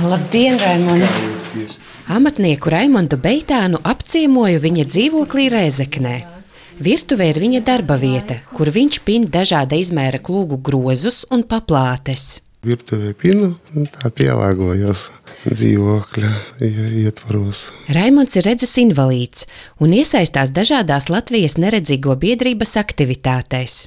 Labdien, Raimond! Amatnieku Raimondu Beitānu apciemoju viņa dzīvoklī Rēzeknē. Virtuvē ir viņa darba vieta, kur viņš pin dažāda izmēra klūgu grozus un paplātes. Virtuvē pinu un tā pielāgojos dzīvokļa ietvaros. Raimonds ir redzes invalīds un iesaistās dažādās Latvijas neredzīgo biedrības aktivitātēs.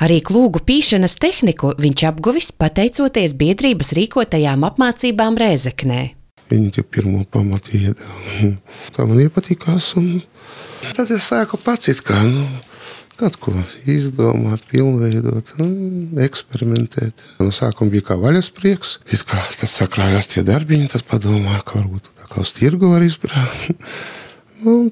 Arī klūgu pīšanas tehniku viņš apguvis pateicoties biedrības rīkotajām apmācībām Rēzeknē. Viņi tie pirmo pamatu iedeva. Tā man iepatikās un tad es sāku pats kaut ko izdomāt, pilnveidot, eksperimentēt. No sākuma bija kā vaļasprieks, tad sakrājās tie darbiņi, tad padomāju, ka varbūt tā kā uz tirgu var izbrāt.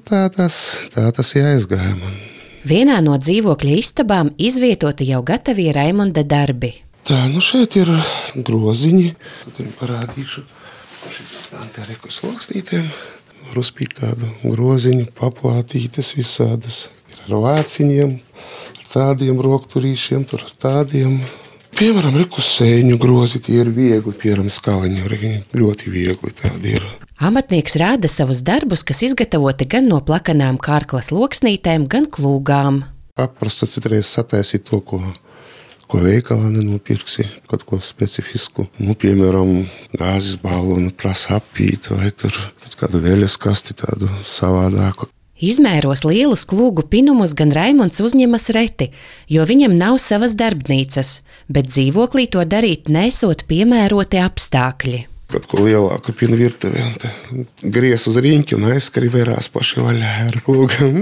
Tā tas jāizgāja man. Vienā no dzīvokļa istabām izvietoti jau gatavie Raimonda darbi. Tā, šeit ir groziņi. Tad parādīšu tā reku sloksnītēm. Var uzpīt tādu groziņu, paplātītes visādas. Ir ar vāciņiem, ar tādiem rokturīšiem, tur ar tādiem. Piemēram, rekusēņu grozi, tie ir viegli, piemēram, skaliņi, ļoti viegli tādi ir. Amatnieks rāda savus darbus, kas izgatavoti gan no plakanām kārklas loksnītēm, gan klūgām. Paprasta citreiz sataisīt to, ko veikalā nenopirksi, kaut ko specifisku. Piemēram, gāzes balonu prasa apīt vai tur kādu veļas kasti tādu savādāku. Izmēros lielus klūgu pinumus gan Raimonds uzņemas reti, jo viņam nav savas darbnīcas, bet dzīvoklī to darīt nesot piemēroti apstākļi. Kaut ko lielāku pinu virtuvē, un gries uz riņķi un aizskari vērās paši vaļā ar klūgam.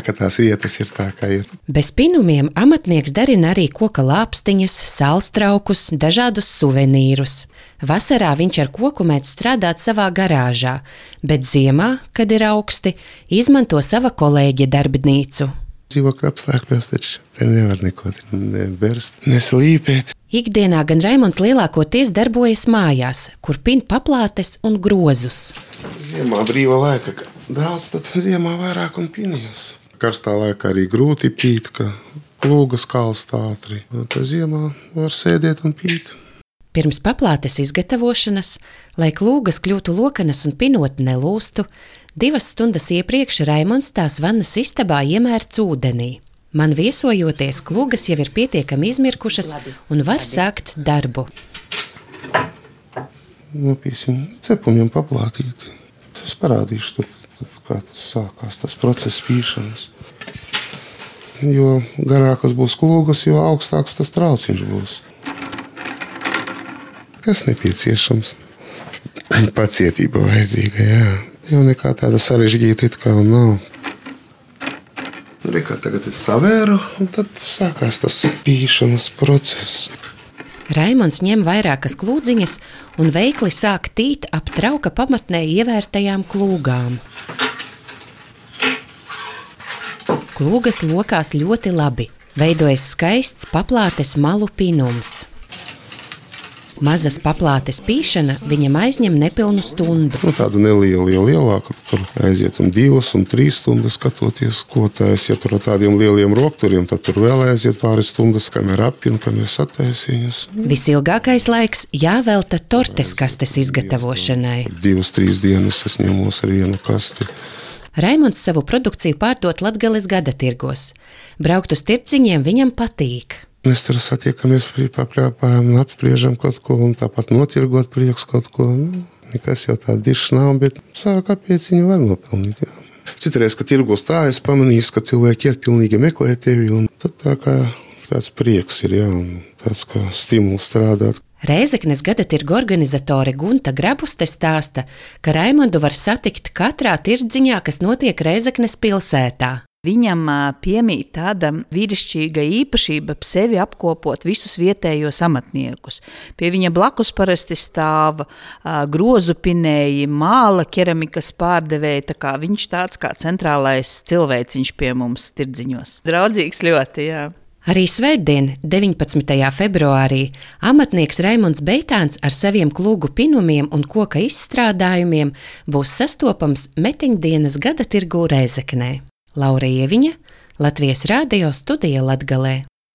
Ka tās vietas ir tā, kā ir. Bez pinumiem amatnieks darina arī koka lāpstiņas, salstraukus, dažādus suvenīrus. Vasarā viņš ar koku mēdz strādāt savā garāžā, bet ziemā, kad ir augsti, izmanto sava kolēģa darbnīcu. Dzīvokļa apstākļos taču te nevar neko neberst, neslīpēt. Ikdienā gan Raimonds lielākoties darbojas mājās, kur pin paplātes un grozus. Ziemā brīva laika daudz, tad ziemā vairāk un pinījos. Karstā laikā arī grūti pīt, ka klūgas kalst ātri. Tad ziemā var sēdēt un pīt. Pirms paplātes izgatavošanas, lai klūgas kļūtu lokanas un pinot nelūstu, 2 stundas iepriekš Raimonds tās vannas istabā iemērts ūdenī. Man viesojoties, klūgas jau ir pietiekami izmirkušas un var sākt darbu. Nopīsim cepumiem paplātīt. Es parādīšu, kā tas sākās, tas process pīšanas. Jo garākas būs klūgas, jo augstāks tas trauciņš būs. Kas nepieciešams? Pacietība vajadzīga, jā. Jau nekā tāda sarežģīta it kā nav. Kā tagad es savēru, un tad sākās tas pīšanas process. Raimonds ņem vairākas klūdziņas un veikli sāk tīt ap trauka pamatnē ievērtajām klūgām. Klūgas lokās ļoti labi. Veidojas skaists paplātes malu pinums. Mazas paplātes pīšana viņam aizņem nepilnu stundu. Tādu nelielu, jo lielāku, tur aiziet 2 un 3 stundas skatoties, ko taisa. Ja tur ar tādiem lieliem rokturiem, tad tur vēl aiziet pāris stundas, kamēr apina, kamēr sataisa viņas. Visilgākais laiks jāvelta tortes kastes izgatavošanai. 2-3 dienas es ņemos ar vienu kasti. Raimonds savu produkciju pārdot Latgales gadatirgos. Braukt uz tirdziņiem viņam patīk. Mēs tur satiekamies, papļāpājam un apspriežam kaut ko, un tāpat notirgot prieks kaut ko. Nekas jau tā dišs nav, bet savu kapieciņu var nopelnīt. Jā. Citreiz, kad tirgos tā, es pamanīju, ka cilvēki iet pilnīgi meklē tevi, un tad tā kā tāds prieks ir, jā, un tāds kā stimuls strādāt. Rēzeknes gadatirgu organizatore Gunta Grabuste stāsta, ka Raimondu var satikt katrā tirdziņā, kas notiek Rēzeknes pilsētā. Viņam piemīt tāda vīrišķīga īpašība sevi apkopot visus vietējos amatniekus. Pie viņa blakus parasti stāv grozu pinēji, māla keramikas pārdevēji, tā kā viņš tāds kā centrālais cilvēciņš pie mums tirdziņos. Draudzīgs ļoti, jā. Arī svētdien, 19. februārī, amatnieks Raimonds Beitāns ar saviem klūgu pinumiem un koka izstrādājumiem būs sastopams Metiņdienas gadatirgū Rēzeknē. Laura Ieviņa, Latvijas radio studija Latgalē.